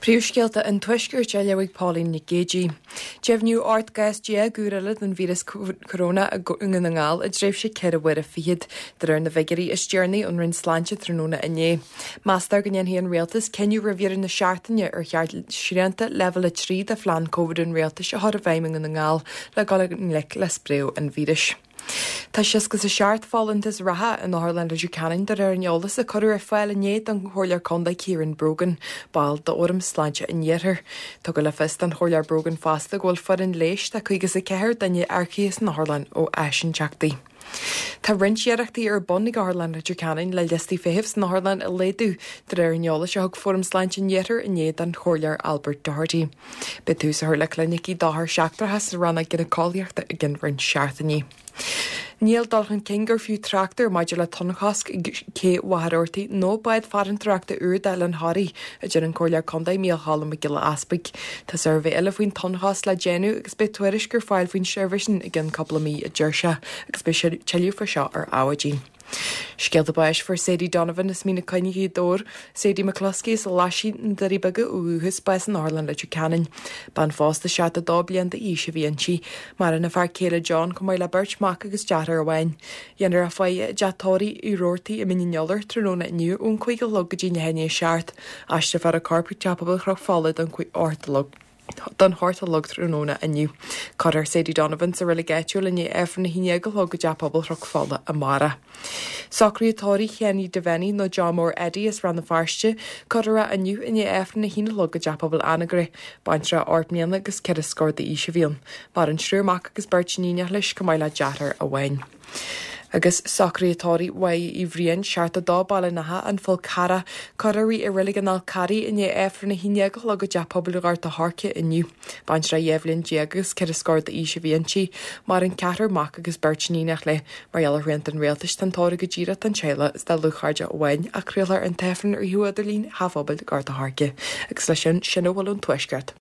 Príomhscéalta an Tuaiscirt á léamh ag Pauline Nic Géidigh. Deimhníodh 18 gcás úr eile den víreas coróna i nDún na nGall i dtréimhse 4 huaire fichead, de réir na bhfigiúirí is deireanaí ón Roinn Sláinte tráthnóna inné. Meastar go ndéanfaidh an Rialtas cinneadh roimh dheireadh na seachtaine ar cheart srianta Leibhéal 3 de phlean Covid an Rialtais a chur i bhfeidhm i nDún na nGall le dul i ngleic le spréadh an víris. Tá 67 folúntas reatha in Otharlann Leitir Ceanainn de réir an eolais a cuireadh ar fáil inné don Chomhairleoir Contae Ciarán Brogan, ball d'Fhóram Sláinte an Iarthair. Tugadh le fios don Chomhairleoir Brogan fosta go bhfuil foireann leighis de 54 duine earcaithe san otharlann ó áisinteachtaí. Tá roinnt iarrachtaí ar bun ag Otharlann Leitir Ceanainn le liostaí feithimh san otharlann a laghdú, de réir an eolais a thug Fóram Sláinte an Iarthair inné don Chomhairleoir Albert Doherty. Beidh tús á chur le clinicí d'othair seachtracha sa rannóg ghineaceolaíochta i gcionn roinnt seachtainí. Níl dul chun cinn gur fiú trácht air maidir le tonnchosc ag cé Mhachaire Rabhartaigh nó bád farantóireachta úr d'Oileán Thoraí, a deir an Comhairleoir Contae Mícheál Cholm Mac Giolla Easpaig. Tá suirbhé eile faoin tonnchosc le déanamh agus beidh tuairisc ar fáil faoin suirbhé sin i gcionn cúpla mí, a deir sé, agus beidh tuilleadh faoi seo ar Adhmhaidin. Scéalta báis Fuair Sadie Donovan as Mín na Coinne, Gaoth Dobhair, Sadie McCluskey as Glaisín, na Doirí Beaga ó dhúchas, bás in Otharlann Leitir Ceanainn. Bean phósta 72 bliain d'aois a bhí inti. Maireann a fear céile John chomh maith le beirt mhac agus deartháir amháin. Dhéanfar a faire i dteach tórraimh Uí Rabhartaigh i Mín an Iolair tráthnóna inniu ón 5 a chlog go dtí leath i ndiaidh 7. Aistreofar a corp chuig Teach Pobail Chnoc Fola don 8 a chlog. don hocht a chlog tráthnóna inniu. Cuirfear Sadie Donovan sa reilig áitiúil i ndiaidh Aifreann 11 a chlog i dTeach Pobail Chnoc Fola amárach. Socruithe tórraimh Chenny Devenny nó Joe Mór Eddie as Rann na Feirste, cuirfear é inniu i ndiaidh Aifreann 1 a chlog i dTeach Pobail Anagaire. Baintreach ocht mbliana agus ceithre scór d'aois a bhí ann. Maireann triúr mac agus beirt iníonach leis chomh maith le deartháir amháin. Agus socruithe tórraimh Mháire Uí Bhriain, 72, Baile an Átha, An Fál Carrach, cuirfear í i Reilig an Fháil Charraigh i ndiaidh Aifreann 11 a chlog i dTeach Pobail Ghort a' Choirce inniu. Baintreach 12 bhliain agus ceithre scór d'aois a bhí inti. Maireann ceathrar mac agus beirt iníonach léi. Mar gheall ar shrianta an rialtais, tá an tórramh go díreach don teaghlach is dá dlúthchairde amháin ach craolfar an t-aifreann ar shuíomh idirlín Theach Phobail Ghort a' Choirce. Agus leis sin, sin a bhfuil ón Tuaisceart.